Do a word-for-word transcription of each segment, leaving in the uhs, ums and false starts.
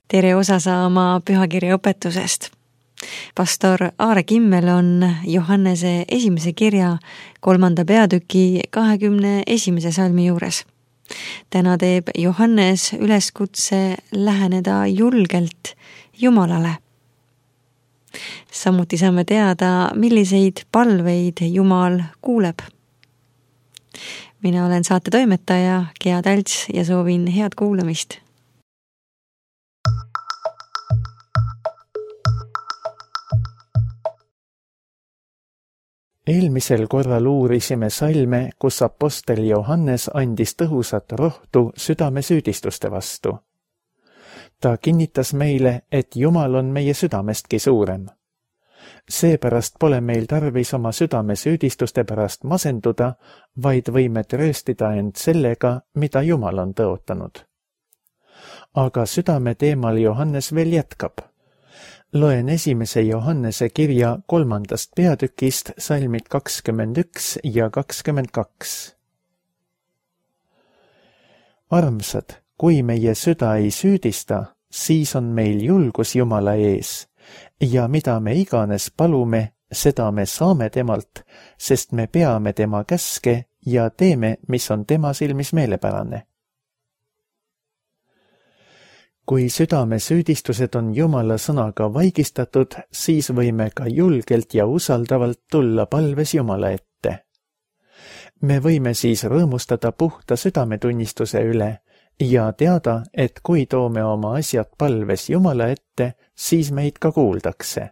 tere osa saama pühakirja õpetusest. Pastor Aare Kimmel on Johannese esimese kirja kolmanda peatüki kahekümne esimese salmi juures. Täna teeb Johannes üleskutse läheneda julgelt Jumalale. Samuti saame teada, milliseid palveid Jumal kuuleb. Mina olen saate toimetaja Gea Talts ja soovin head kuulamist. Eelmisel korral uurisime salme, kus apostel Johannes andis tõhusat rohtu südame süüdistuste vastu. Ta kinnitas meile, et Jumal on meie südamestki suurem. Seepärast pole meil tarvis oma südame süüdistuste pärast masenduda, vaid võime trööstida end sellega, mida Jumal on tõotanud. Aga südame teemal Johannes veel jätkab. Loen esimese Johannese kirja kolmandast peatükist salmid kakskümmend üks ja kakskümmend kaks. Armsad, kui meie süda ei süüdista, siis on meil julgus Jumala ees ja mida me iganes palume, seda me saame temalt, sest me peame tema käske ja teeme, mis on tema silmis meelepärane. Kui südame süüdistused on Jumala sõnaga vaigistatud, siis võime ka julgelt ja usaldavalt tulla palves Jumala ette. Me võime siis rõõmustada puhta südametunnistuse üle ja teada, et kui toome oma asjad palves Jumala ette, siis meid ka kuuldakse.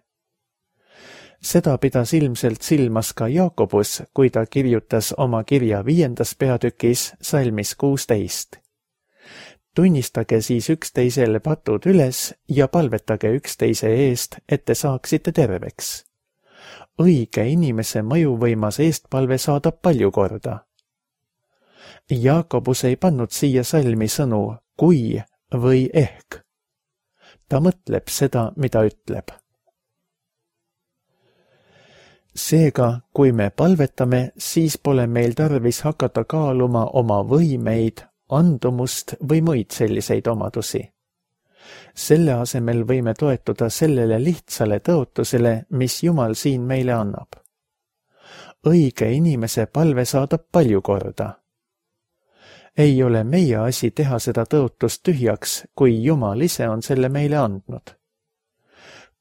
Seda pidas ilmselt silmas ka Jaakobus, kui ta kirjutas oma kirja viiendas peatükis salmis kuusteist. Tunnistage siis üksteisele patud üles ja palvetage üksteise eest, et te saaksite terveks. Õige inimese mõjuvõimas eestpalve saadab palju korda. Jaakobus ei pannud siia salmi sõnu kui või ehk. Ta mõtleb seda, mida ütleb. Seega, kui me palvetame, siis pole meil tarvis hakata kaaluma oma võimeid, andumust või muid selliseid omadusi. Selle asemel võime toetuda sellele lihtsale tõotusele, mis Jumal siin meile annab. Õige inimese palve saadab palju korda. Ei ole meie asi teha seda tõotust tühjaks, kui Jumal ise on selle meile andnud.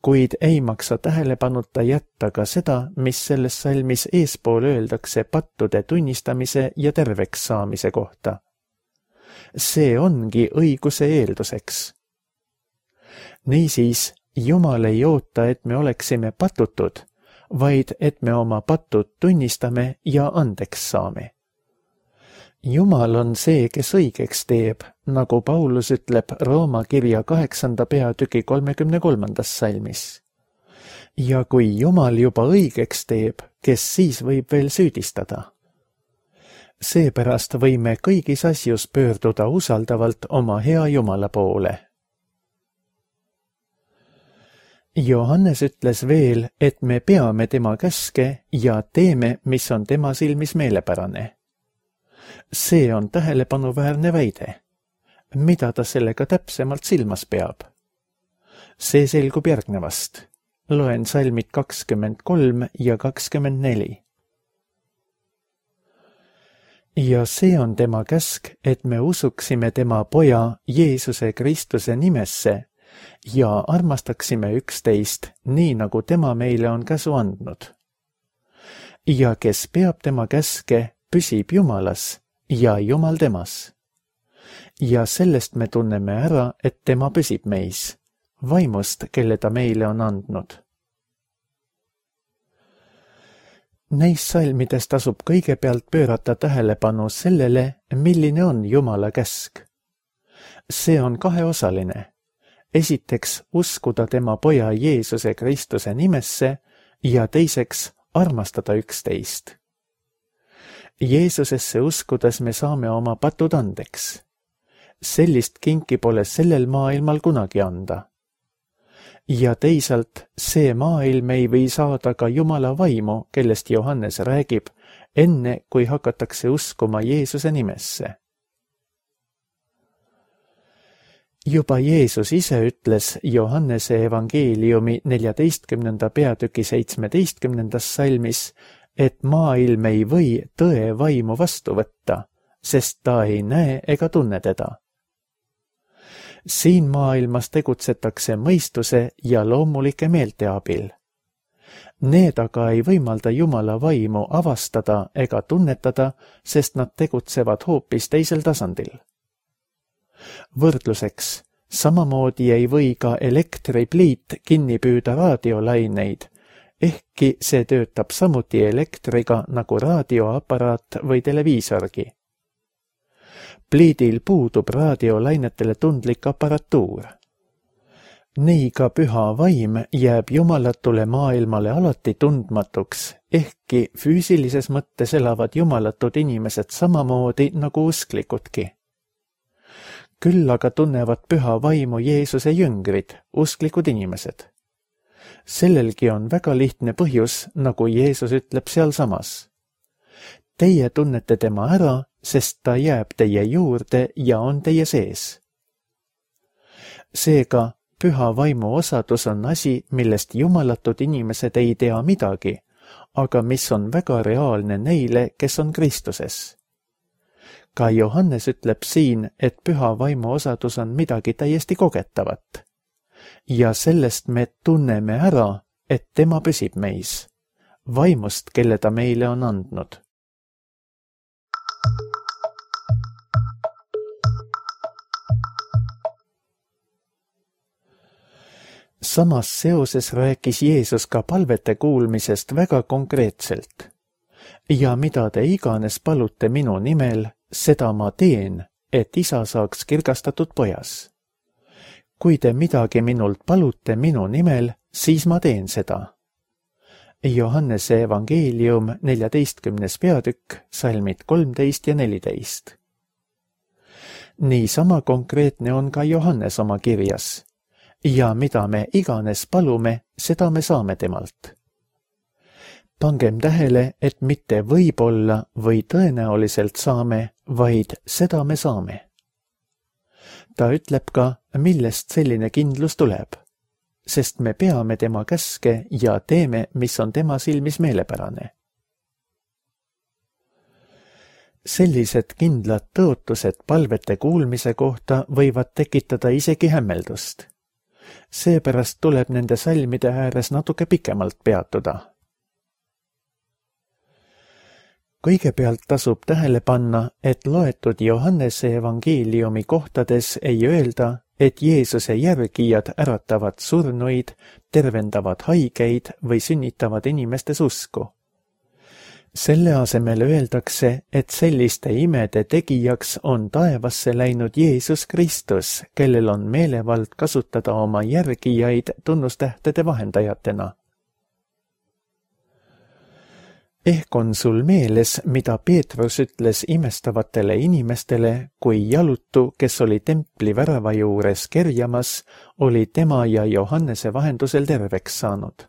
Kuid ei maksa tähelepanuta jätta ka seda, mis selles salmis eespool öeldakse pattude tunnistamise ja terveks saamise kohta. See ongi õiguse eelduseks. Niisiis, Jumal ei oota, et me oleksime patutud, vaid et me oma patud tunnistame ja andeks saame. Jumal on see, kes õigeks teeb, nagu Paulus ütleb Rooma kirja kaheksanda peatüki kolmekümne kolmandas salmis. Ja kui Jumal juba õigeks teeb, kes siis võib veel süüdistada? Seepärast võime kõigis asjus pöörduda usaldavalt oma hea Jumala poole. Johannes ütles veel, et me peame tema käske ja teeme, mis on tema silmis meelepärane. See on tähelepanuväärne väide. Mida ta sellega täpsemalt silmas peab? See selgub järgnevast. Loen salmid kakskümmend kolm ja kakskümmend neli. Ja see on tema käsk, et me usuksime tema poja Jeesuse Kristuse nimesse ja armastaksime üksteist, nii nagu tema meile on käsu andnud. Ja kes peab tema käske, püsib Jumalas ja Jumal temas. Ja sellest me tunneme ära, et tema püsib meis, vaimust, kelle ta meile on andnud. Neis salmides tasub kõigepealt pöörata tähelepanu sellele, milline on Jumala käsk. See on kaheosaline. Esiteks uskuda tema poja Jeesuse Kristuse nimesse ja teiseks armastada üksteist. Jeesusesse uskudes me saame oma patud andeks. Sellist kinki pole sellel maailmal kunagi anda. Ja teisalt, see maailm ei või saada ka Jumala vaimu, kellest Johannes räägib, enne kui hakatakse uskuma Jeesuse nimesse. juba Jeesus ise ütles Johannese evangeeliumi neljateistkümnenda peatüki seitsmeteistkümnendas salmis, et maailm ei või tõe vaimu vastu võtta, sest ta ei näe ega tunne teda. Siin maailmas tegutsetakse mõistuse ja loomulike meelte abil. Need aga ei võimalda Jumala vaimu avastada ega tunnetada, sest nad tegutsevad hoopis teisel tasandil. Võrdluseks, samamoodi ei või ka elektripliit kinni püüda raadiolaineid, ehkki see töötab samuti elektriga nagu raadioaparaat või televiisorgi. Pliidil puudub raadiolainetele tundlik aparatuur. Nii ka püha vaim jääb jumalatule maailmale alati tundmatuks, ehkki füüsilises mõttes elavad jumalatud inimesed samamoodi nagu usklikudki. Küll aga tunnevad püha vaimu Jeesuse jüngrid, usklikud inimesed. Sellelgi on väga lihtne põhjus, nagu Jeesus ütleb sealsamas. Teie tunnete tema ära, sest ta jääb teie juurde ja on teie sees. Seega, püha vaimu osadus on asi, millest jumalatud inimesed ei tea midagi, aga mis on väga reaalne neile, kes on Kristuses. Ka Johannes ütleb siin, et püha vaimu osadus on midagi täiesti kogetavat. Ja sellest me tunneme ära, et tema püsib meis, vaimust, kelle ta meile on andnud. Samas seoses rääkis Jeesus ka palvete kuulmisest väga konkreetselt. Ja mida te iganes palute minu nimel, seda ma teen, et isa saaks kirgastatud pojas. Kui te midagi minult palute minu nimel, siis ma teen seda. Johannese evangeelium neljateistkümnes peatükk, salmid kolmteist ja neliteist. Niisama konkreetne on ka Johannes oma kirjas. Ja mida me iganes palume, seda me saame temalt. Pangem tähele, et mitte võib-olla või tõenäoliselt saame, vaid seda me saame. Ta ütleb ka, millest selline kindlus tuleb, sest me peame tema käske ja teeme, mis on tema silmis meelepärane. Sellised kindlad tõotused palvete kuulmise kohta võivad tekitada isegi hämmeldust. Seepärast tuleb nende salmide ääres natuke pikemalt peatuda. Kõigepealt tasub tähele panna, et loetud Johannese evangeeliumi kohtades ei öelda, et Jeesuse järgijad äratavad surnuid, tervendavad haigeid või sünnitavad inimestes usku. Selle asemel öeldakse, et selliste imede tegijaks on taevasse läinud Jeesus Kristus, kellel on meelevald kasutada oma järgijaid tunnustähtede vahendajatena. Ehk on sul meeles, mida Peetrus ütles imestavatele inimestele, kui jalutu, kes oli templi värava juures kerjamas, oli tema ja Johannese vahendusel terveks saanud.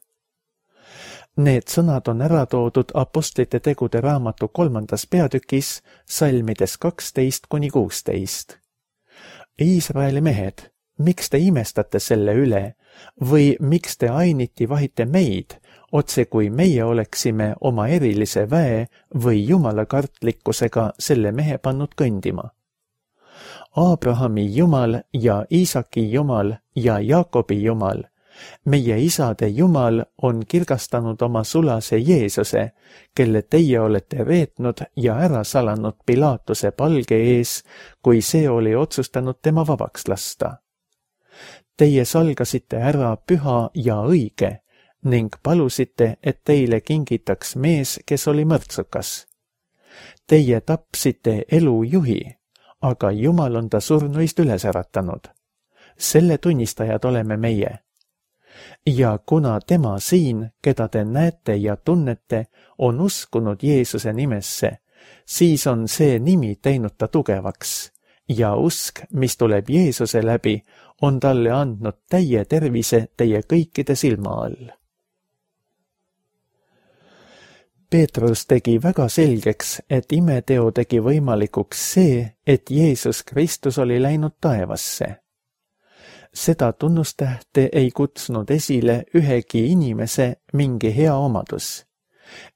Need sõnad on ära toodud apostlite tegude raamatu kolmandas peatükis, salmides kaksteist kuni kuusteist. Iisraeli mehed, miks te imestate selle üle või miks te ainiti vahite meid, otse kui meie oleksime oma erilise väe või jumalakartlikkusega selle mehe pannud kõndima? Abrahami Jumal ja Iisaki Jumal ja Jaakobi Jumal, meie isade Jumal on kirgastanud oma sulase Jeesuse, kelle teie olete reetnud ja ära salanud Pilaatuse palge ees, kui see oli otsustanud tema vabaks lasta. Teie salgasite ära püha ja õige ning palusite, et teile kingitaks mees, kes oli mõrtsukas. Teie tapsite elujuhi, aga Jumal on ta surnuist üles äratanud. Selle tunnistajad oleme meie. Ja kuna tema siin, keda te näete ja tunnete, on uskunud Jeesuse nimesse, siis on see nimi teinud ta tugevaks ja usk, mis tuleb Jeesuse läbi, on talle andnud täie tervise teie kõikide silma all. Peetrus tegi väga selgeks, et imeteo tegi võimalikuks see, et Jeesus Kristus oli läinud taevasse. seda tunnustähte ei kutsunud esile ühegi inimese mingi hea omadus,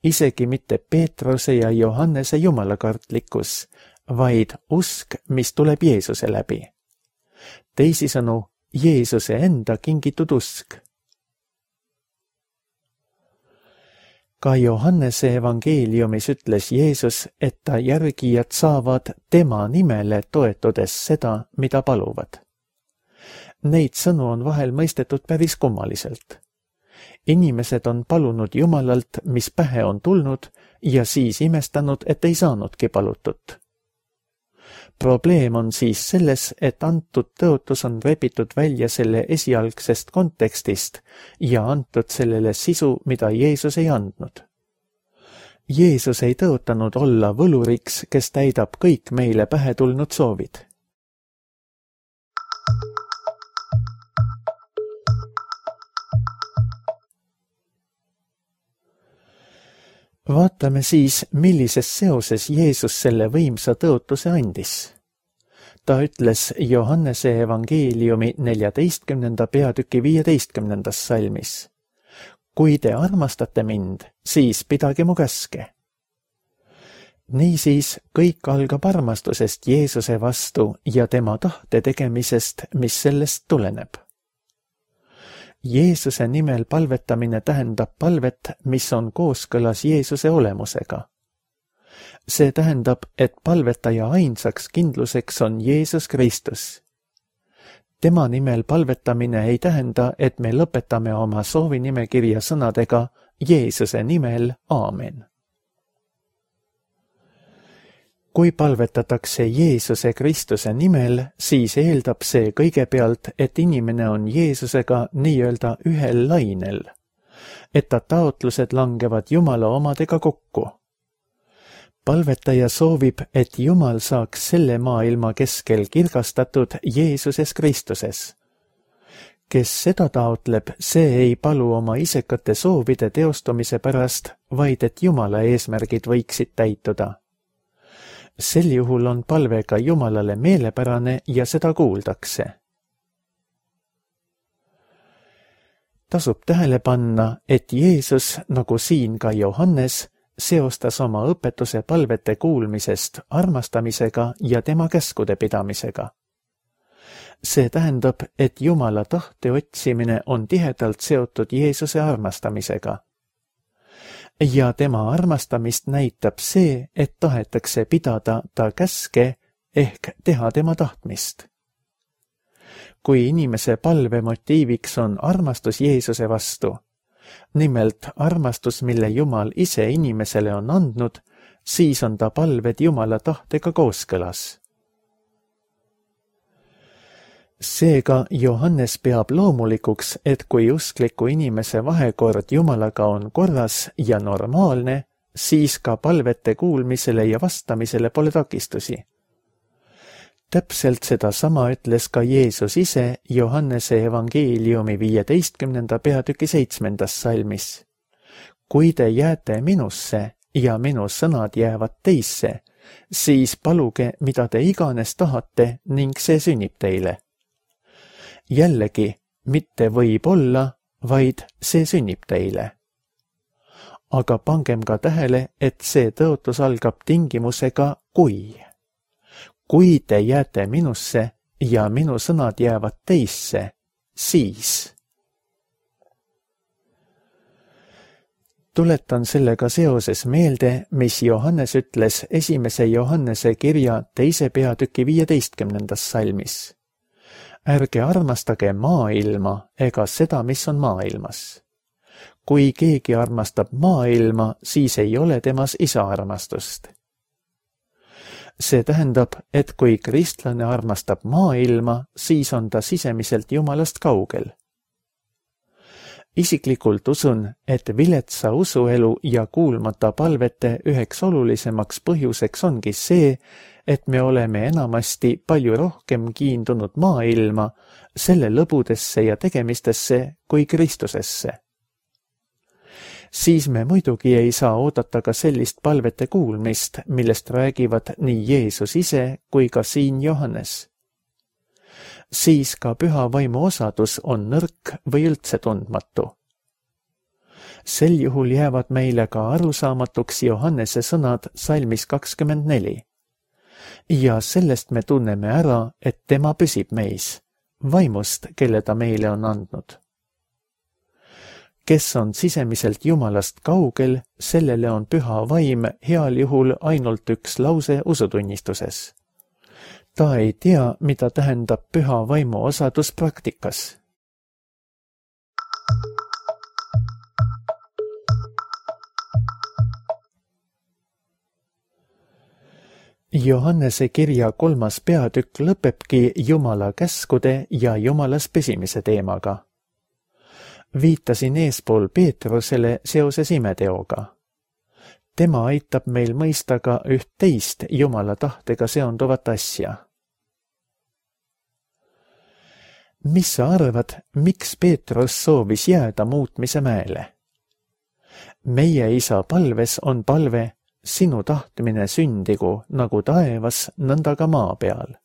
isegi mitte Peetruse ja Johannese jumalakartlikkus, vaid usk, mis tuleb Jeesuse läbi. Teisisõnu, Jeesuse enda kingitud usk. Ka Johannese evangeeliumis ütles Jeesus, et ta järgijad saavad tema nimele toetudes seda, mida paluvad. Neid sõnu on vahel mõistetud päris kummaliselt. Inimesed on palunud Jumalalt, mis pähe on tulnud, ja siis imestanud, et ei saanudki palutut. Probleem on siis selles, et antud tõotus on rebitud välja selle esialgsest kontekstist ja antud sellele sisu, mida Jeesus ei andnud. Jeesus ei tõotanud olla võluriks, kes täidab kõik meile pähe tulnud soovid. Vaatame siis, millises seoses Jeesus selle võimsa tõotuse andis. Ta ütles Johannese evangeeliumi neljateistkümnenda peatüki viieteistkümnendas salmis. Kui te armastate mind, siis pidage mu käske. Niisiis kõik algab armastusest Jeesuse vastu ja tema tahte tegemisest, mis sellest tuleneb. Jeesuse nimel palvetamine tähendab palvet, mis on kooskõlas Jeesuse olemusega. See tähendab, et palvetaja ainsaks kindluseks on Jeesus Kristus. Tema nimel palvetamine ei tähenda, et me lõpetame oma soovinimekirja sõnadega Jeesuse nimel, aamen. Kui palvetatakse Jeesuse Kristuse nimel, siis eeldab see kõigepealt, et inimene on Jeesusega nii-öelda ühel lainel, et ta taotlused langevad Jumala omadega kokku. Palvetaja soovib, et Jumal saaks selle maailma keskel kirgastatud Jeesuses Kristuses. Kes seda taotleb, see ei palu oma isekate soovide teostumise pärast, vaid et Jumala eesmärgid võiksid täituda. Sel juhul on palve ka Jumalale meelepärane ja seda kuuldakse. Tasub tähele panna, et Jeesus, nagu siin ka Johannes, seostas oma õpetuse palvete kuulmisest armastamisega ja tema käskude pidamisega. See tähendab, et Jumala tahte otsimine on tihedalt seotud Jeesuse armastamisega. Ja tema armastamist näitab see, et tahetakse pidada ta käske ehk teha tema tahtmist. Kui inimese palve motiiviks on armastus Jeesuse vastu, nimelt armastus, mille Jumal ise inimesele on andnud, siis on ta palved Jumala tahtega kooskõlas. Seega Johannes peab loomulikuks, et kui uskliku inimese vahekord Jumalaga on korras ja normaalne, siis ka palvete kuulmisele ja vastamisele pole takistusi. Täpselt seda sama ütles ka Jeesus ise Johannese evangeeliumi viieteistkümnenda peatüki seitsmendas salmis. Kui te jääte minusse ja minu sõnad jäävad teisse, siis paluge, mida te iganes tahate ning see sünnib teile. Jällegi, mitte võib olla, vaid see sünnib teile. Aga pangem ka tähele, et see tõotus algab tingimusega kui. Kui te jääte minusse ja minu sõnad jäävad teisse, siis. Tuletan sellega seoses meelde, mis Johannes ütles esimese Johannese kirja teise peatüki viieteistkümnendas salmis. Ärge armastage maailma ega seda, mis on maailmas. Kui keegi armastab maailma, siis ei ole temas isa armastust. See tähendab, et kui kristlane armastab maailma, siis on ta sisemiselt Jumalast kaugel. Isiklikult usun, et viletsa usuelu ja kuulmata palvete üheks olulisemaks põhjuseks ongi see, et me oleme enamasti palju rohkem kiindunud maailma, selle lõbudesse ja tegemistesse kui Kristusesse. Siis me muidugi ei saa oodata ka sellist palvete kuulmist, millest räägivad nii Jeesus ise kui ka siin Johannes. siis ka püha vaimu osadus on nõrk või üldse tundmatu. Sel juhul jäävad meile ka arusaamatuks Johannese sõnad salmis kakskümmend neli. Ja sellest me tunneme ära, et tema püsib meis, vaimust, kelle ta meile on andnud. Kes on sisemiselt Jumalast kaugel, sellele on püha vaim heal juhul ainult üks lause usutunnistuses. Ta ei tea, mida tähendab püha vaimu osadus praktikas. Johannese kirja kolmas peatükk lõpebki Jumala käskude ja Jumalas püsimise teemaga. Viitasin eespool Peetrusele seoses imeteoga. Tema aitab meil mõista ka üht teist Jumala tahtega seonduvat asja. Mis sa arvad, miks Peetrus soovis jääda muutmise mäele? Meie isa palves on palve, sinu tahtmine sündigu nagu taevas, nõnda ka maa peal.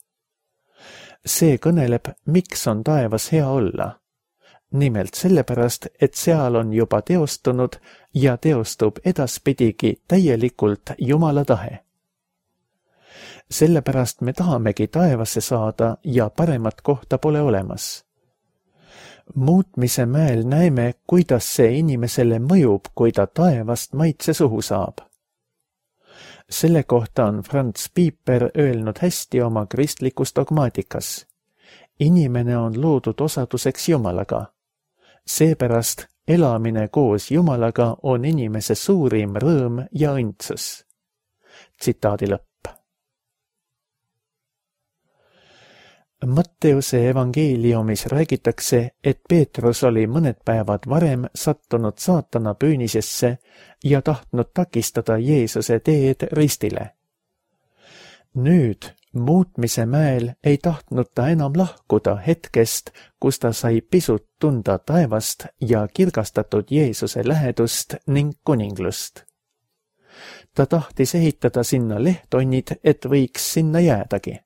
See kõneleb, miks on taevas hea olla. Nimelt sellepärast, et seal on juba teostunud ja teostub edaspidigi täielikult Jumala tahe. Sellepärast me tahamegi taevasse saada ja paremat kohta pole olemas. Muutmise mäel näeme, kuidas see inimesele mõjub, kui ta taevast maitse suhu saab. Selle kohta on Franz Pieper öelnud hästi oma kristlikus dogmaatikas. Inimene on loodud osaduseks Jumalaga. Seepärast elamine koos Jumalaga on inimese suurim rõõm ja õndsus. Tsitaadi lõpp. Matteuse evangeeliumis räägitakse, et Peetrus oli mõned päevad varem sattunud saatana püünisesse ja tahtnud takistada Jeesuse teed ristile. Nüüd, muutmise mäel ei tahtnud ta enam lahkuda hetkest, kus ta sai pisut tunda taevast ja kirgastatud Jeesuse lähedust ning kuninglust. Ta tahtis ehitada sinna lehtonnid, et võiks sinna jäädagi.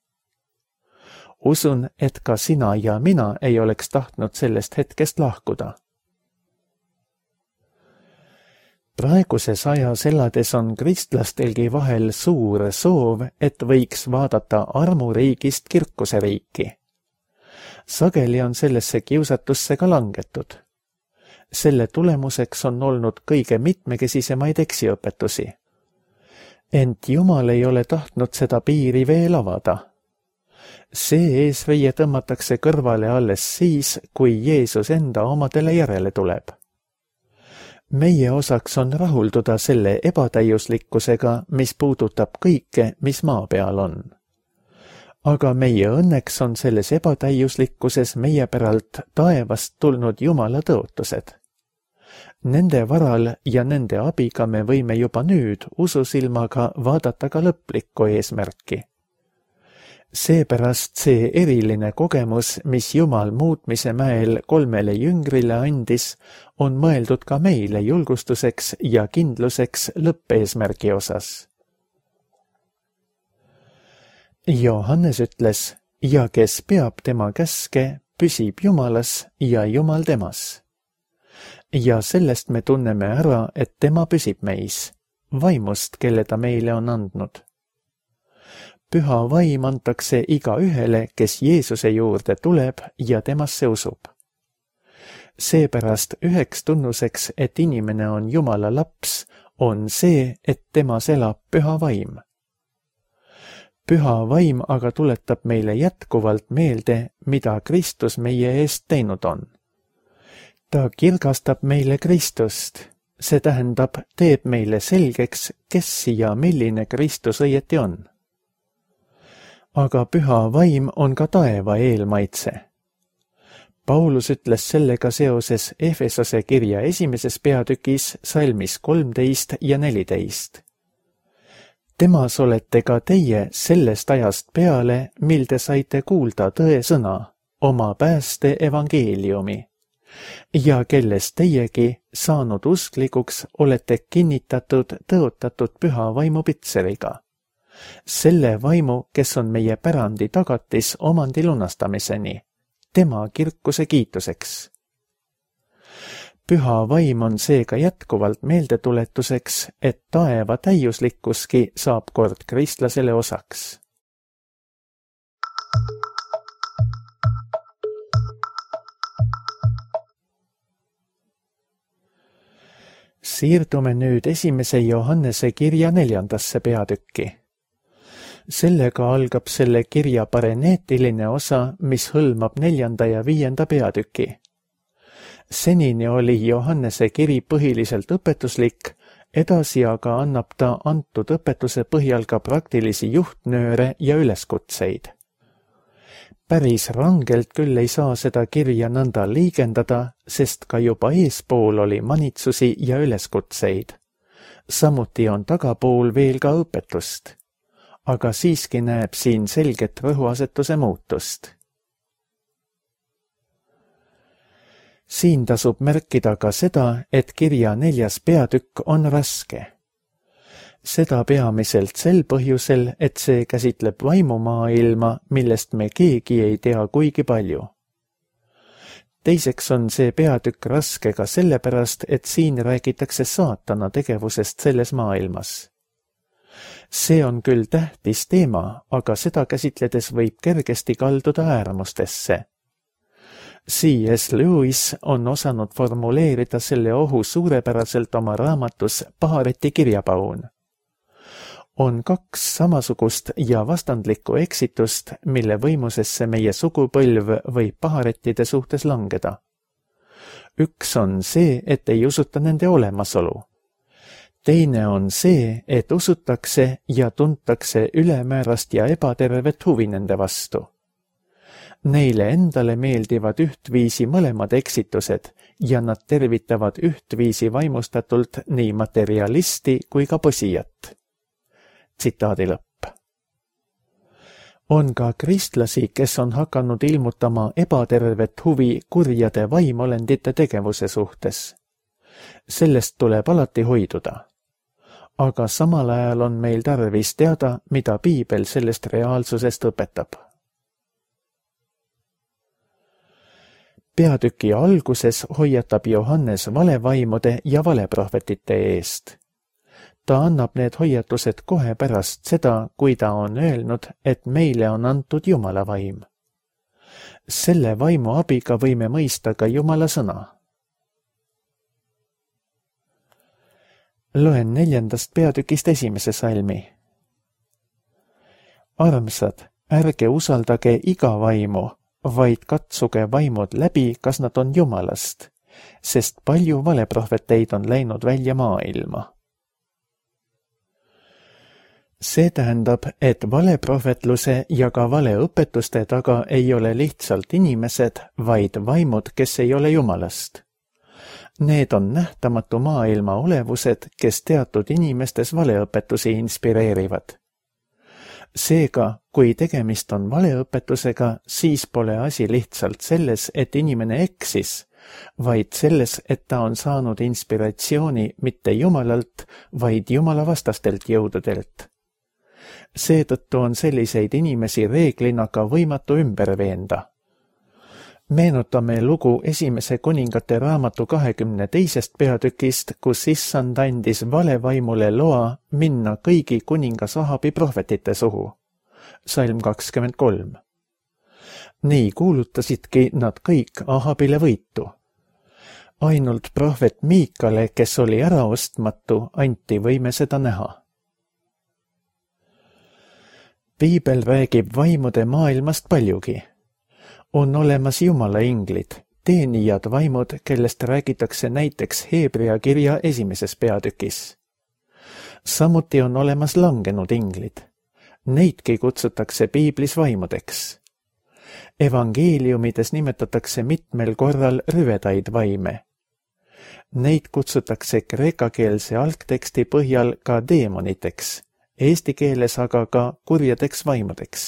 Usun, et ka sina ja mina ei oleks tahtnud sellest hetkest lahkuda. Praeguses ajas elades on kristlastelgi vahel suur soov, et võiks vaadata armuriigist kirkuse riiki. Sageli on sellesse kiusatusse ka langetud. Selle tulemuseks on olnud kõige mitmekesisemaid eksiõpetusi. Ent Jumal ei ole tahtnud seda piiri veel avada. See eesriie tõmmatakse kõrvale alles siis, kui Jeesus enda omadele järele tuleb. Meie osaks on rahulduda selle ebatäiuslikkusega, mis puudutab kõike, mis maa peal on. Aga meie õnneks on selles ebatäiuslikkuses meie päralt taevast tulnud Jumala tõotused. Nende varal ja nende abiga me võime juba nüüd ususilmaga vaadata ka lõplikku eesmärki. Seepärast see eriline kogemus, mis Jumal muutmise mäel kolmele jüngrile andis, on mõeldud ka meile julgustuseks ja kindluseks lõppeesmärgi osas. Johannes ütles, ja kes peab tema käske, püsib Jumalas ja Jumal temas. Ja sellest me tunneme ära, et tema püsib meis, vaimust, kelle ta meile on andnud. Püha vaim antakse iga ühele, kes Jeesuse juurde tuleb ja temasse usub. Seepärast üheks tunnuseks, et inimene on Jumala laps, on see, et temas elab püha vaim. Püha vaim aga tuletab meile jätkuvalt meelde, mida Kristus meie eest teinud on. Ta kirgastab meile Kristust, see tähendab, teeb meile selgeks, kes ja milline Kristus õieti on. Aga püha vaim on ka taeva eelmaitse. Paulus ütles sellega seoses Efesose kirja esimeses peatükis salmis kolmteist ja neliteist. Temas olete ka teie sellest ajast peale, mil te saite kuulda tõe sõna, oma pääste evangeeliumi, ja kellest teiegi, saanud usklikuks, olete kinnitatud, tõotatud püha vaimu pitseriga. Selle vaimu, kes on meie pärandi tagatis omandi lunastamiseni, tema kirkuse kiituseks. Püha vaim on seega jätkuvalt meeldetuletuseks, et taeva täiuslikkuski saab kord kristlasele osaks. Siirdume nüüd esimese Johannese kirja neljandasse peatükki. Sellega algab selle kirja pareneetiline osa, mis hõlmab neljanda ja viienda peatüki. Senini oli Johannese kiri põhiliselt õpetuslik, edasi aga annab ta antud õpetuse põhjal ka praktilisi juhtnööre ja üleskutseid. Päris rangelt küll ei saa seda kirja nõnda liigendada, sest ka juba eespool oli manitsusi ja üleskutseid. Samuti on tagapool veel ka õpetust, aga siiski näeb siin selget rõhuasetuse muutust. Siin tasub märkida ka seda, et kirja neljas peatükk on raske. Seda peamiselt sel põhjusel, et see käsitleb vaimumaailma, millest me keegi ei tea kuigi palju. Teiseks on see peatükk raske ka sellepärast, et siin räägitakse saatana tegevusest selles maailmas. See on küll tähtis teema, aga seda käsitledes võib kergesti kalduda äärmustesse. C S Lewis on osanud formuleerida selle ohu suurepäraselt oma raamatus Pahareti kirjapaun. On kaks samasugust ja vastandlikku eksitust, mille võimusesse meie sugupõlv võib paharettide suhtes langeda. Üks on see, et ei usuta nende olemasolu. Teine on see, et usutakse ja tuntakse ülemäärast ja ebatervet huvi nende vastu. Neile endale meeldivad ühtviisi mõlemad eksitused ja nad tervitavad ühtviisi vaimustatult nii materialisti kui ka posijat. Tsitaadi lõpp. On ka kristlasi, kes on hakanud ilmutama ebatervet huvi kurjade vaimolendite tegevuse suhtes. Sellest tuleb alati hoiduda. Aga samal ajal on meil tarvis teada, mida piibel sellest reaalsusest õpetab. Peatüki alguses hoiatab Johannes valevaimude ja valeprohvetite eest. Ta annab need hoiatused kohe pärast seda, kui ta on öelnud, et meile on antud Jumala vaim. Selle vaimu abiga võime mõista ka Jumala sõna. Loen neljandast peatükist esimese salmi. Armsad, ärge usaldage iga vaimu, vaid katsuge vaimud läbi, kas nad on Jumalast, sest palju valeprohveteid on läinud välja maailma. See tähendab, et valeprohvetluse ja ka valeõpetuste taga ei ole lihtsalt inimesed, vaid vaimud, kes ei ole Jumalast. Need on nähtamatu maailma olevused, kes teatud inimestes valeõpetusi inspireerivad. Seega, kui tegemist on valeõpetusega, siis pole asi lihtsalt selles, et inimene eksis, vaid selles, et ta on saanud inspiratsiooni mitte Jumalalt, vaid Jumala vastastelt jõududelt. Seetõttu on selliseid inimesi reeglina ka võimatu ümber veenda. Meenutame lugu esimese kuningate raamatu kahekümne teisest peatükist, kus issand andis valevaimule loa minna kõigi kuningas Ahabi prohvetite suhu. Salm kakskümmend kolm. Nii kuulutasidki nad kõik Ahabile võitu. Ainult prohvet Miikale, kes oli äraostmatu, anti võime seda näha. Piibel räägib vaimude maailmast paljugi. On olemas Jumala inglid, teenijad vaimud, kellest räägitakse näiteks Heebrea kirja esimeses peatükis. Samuti on olemas langenud inglid. Neidki kutsutakse piiblis vaimudeks. Evangeeliumides nimetatakse mitmel korral rüvedaid vaime. Neid kutsutakse kreekakeelse algteksti põhjal ka deemoniteks, eesti keeles aga ka kurjadeks vaimudeks.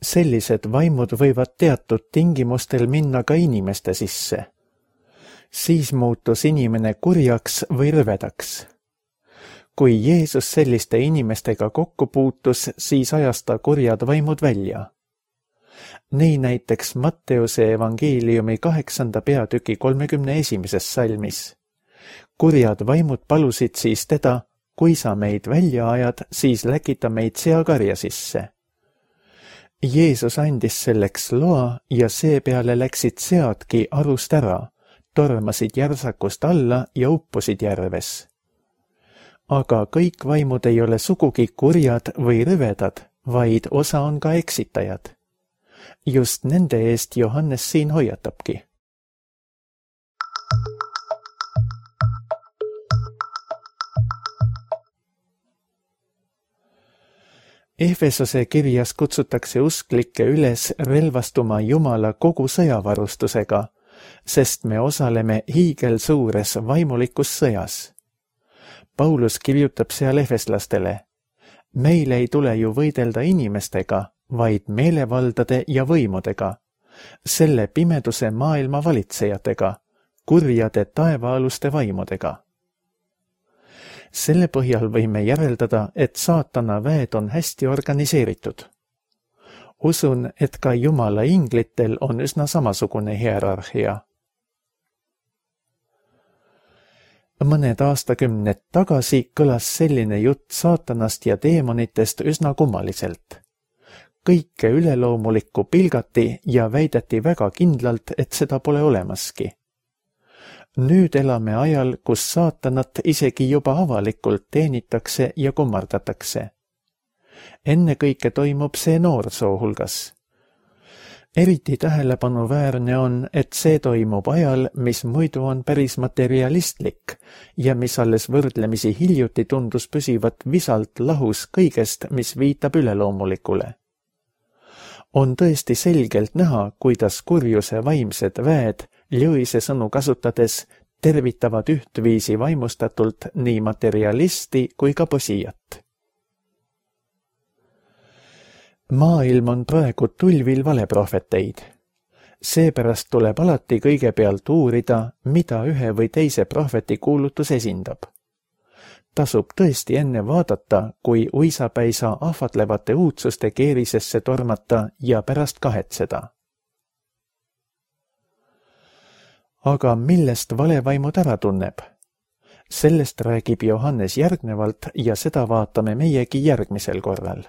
Sellised vaimud võivad teatud tingimustel minna ka inimeste sisse. Siis muutus inimene kurjaks või rüvedaks. Kui Jeesus selliste inimestega kokku puutus, siis ajas ta kurjad vaimud välja. Nii näiteks Matteuse evangeeliumi kaheksanda peatüki kolmekümne esimeses salmis. Kurjad vaimud palusid siis teda, kui sa meid välja ajad, siis läkita meid seakarja sisse. Jeesus andis selleks loa ja seepeale läksid seadki arust ära, tormasid järsakust alla ja uppusid järves. Aga kõik vaimud ei ole sugugi kurjad või rõvedad, vaid osa on ka eksitajad. Just nende eest Johannes siin hoiatabki. Efesose kirjas kutsutakse usklikke üles relvastuma Jumala kogu sõjavarustusega, sest me osaleme hiigelsuures vaimulikus sõjas. Paulus kirjutab seal efeslastele: meil ei tule ju võidelda inimestega, vaid meelevaldade ja võimudega, selle pimeduse maailma valitsejatega, kurjade taevaaluste vaimudega. Selle põhjal võime järeldada, et saatana väed on hästi organiseeritud. Usun, et ka Jumala inglitel on üsna samasugune hierarhia. Mõned aastakümned tagasi kõlas selline jutt saatanast ja teemonitest üsna kummaliselt. Kõike üleloomulikku pilgati ja väideti väga kindlalt, et seda pole olemaski. Nüüd elame ajal, kus saatanat isegi juba avalikult teenitakse ja kummardatakse. Ennekõike toimub see noorsoo hulgas. Eriti tähelepanuväärne on, et see toimub ajal, mis muidu on päris materialistlik ja mis alles võrdlemisi hiljuti tundus püsivat visalt lahus kõigest, mis viitab üleloomulikule. On tõesti selgelt näha, kuidas kurjuse vaimsed väed Lewise sõnu kasutades tervitavad ühtviisi vaimustatult nii materialisti kui ka posijat. Maailm on praegu tulvil valeprohveteid. Seepärast tuleb alati kõigepealt uurida, mida ühe või teise prohveti kuulutus esindab. Tasub tõesti enne vaadata, kui uisapäisa ahvatlevate uudsuste keerisesse tormata ja pärast kahetseda. Aga millest valevaimud ära tunneb? Sellest räägib Johannes järgnevalt ja seda vaatame meiegi järgmisel korral.